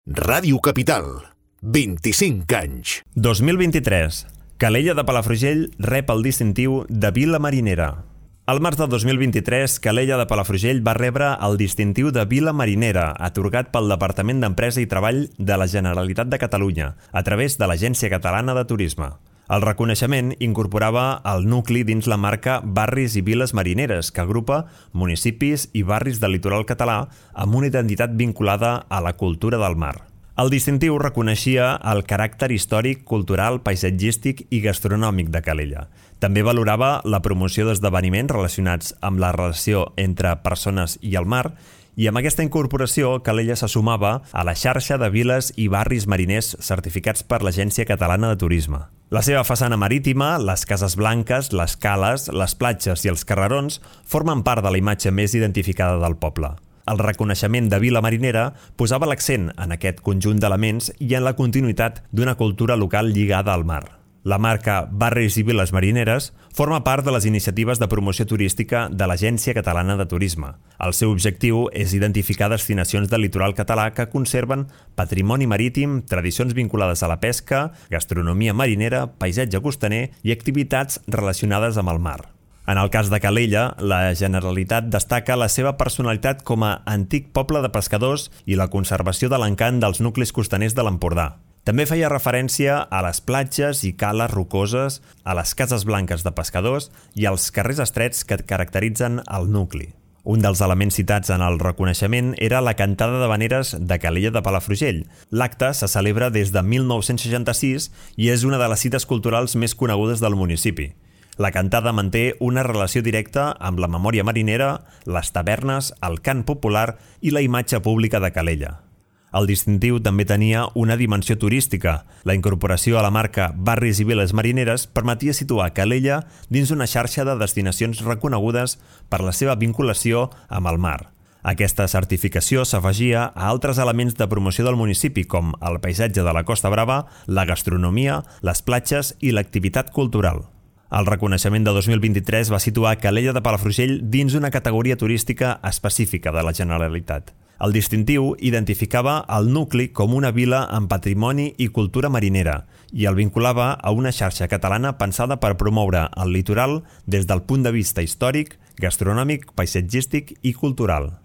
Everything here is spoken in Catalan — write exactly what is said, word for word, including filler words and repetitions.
Ràdio Capital, vint-i-cinc anys. dos mil vint-i-tres. Calella de Palafrugell rep el distintiu de Vila Marinera. Al març de dos mil vint-i-tres, Calella de Palafrugell va rebre el distintiu de Vila Marinera, atorgat pel Departament d'Empresa i Treball de la Generalitat de Catalunya, a través de l'Agència Catalana de Turisme. El reconeixement incorporava el nucli dins la marca Barris i Viles Marineres, que agrupa municipis i barris del litoral català amb una identitat vinculada a la cultura del mar. El distintiu reconeixia el caràcter històric, cultural, paisatgístic i gastronòmic de Calella. També valorava la promoció d'esdeveniments relacionats amb la relació entre persones i el mar, i amb aquesta incorporació Calella se sumava a la xarxa de viles i barris mariners certificats per l'Agència Catalana de Turisme. La seva façana marítima, les cases blanques, les cales, les platges i els carrerons formen part de la imatge més identificada del poble. El reconeixement de Vila Marinera posava l'accent en aquest conjunt d'elements i en la continuïtat d'una cultura local lligada al mar. La marca Barris i Viles Marineres forma part de les iniciatives de promoció turística de l'Agència Catalana de Turisme. El seu objectiu és identificar destinacions del litoral català que conserven patrimoni marítim, tradicions vinculades a la pesca, gastronomia marinera, paisatge costaner i activitats relacionades amb el mar. En el cas de Calella, la Generalitat destaca la seva personalitat com a antic poble de pescadors i la conservació de l'encant dels nuclis costaners de l'Empordà. També feia referència a les platges i cales rocoses, a les cases blanques de pescadors i als carrers estrets que caracteritzen el nucli. Un dels elements citats en el reconeixement era la cantada d'havaneres de Calella de Palafrugell. L'acte se celebra des de mil nou-cents seixanta-sis i és una de les cites culturals més conegudes del municipi. La cantada manté una relació directa amb la memòria marinera, les tavernes, el cant popular i la imatge pública de Calella. El distintiu també tenia una dimensió turística. La incorporació a la marca Barris i Viles Marineres permetia situar Calella dins una xarxa de destinacions reconegudes per la seva vinculació amb el mar. Aquesta certificació s'afegia a altres elements de promoció del municipi, com el paisatge de la Costa Brava, la gastronomia, les platges i l'activitat cultural. El reconeixement de dos mil vint-i-tres va situar Calella de Palafrugell dins una categoria turística específica de la Generalitat. El distintiu identificava el nucli com una vila amb patrimoni i cultura marinera i el vinculava a una xarxa catalana pensada per promoure el litoral des del punt de vista històric, gastronòmic, paisatgístic i cultural.